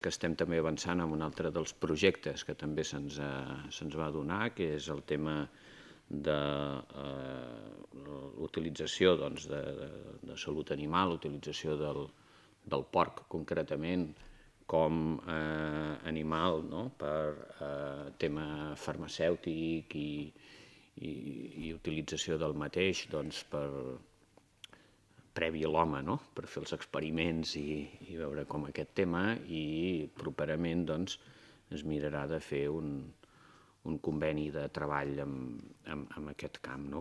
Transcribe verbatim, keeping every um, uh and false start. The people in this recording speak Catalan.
que estem també avançant en un altre dels projectes que també se'ns se'ns va donar, que és el tema de l'utilització de salut animal, l'utilització del porc concretament com a animal per tema farmacèutic i utilització del mateix previ a l'home, per fer els experiments i veure com aquest tema, i properament es mirarà de fer un conveni de treball en aquest camp,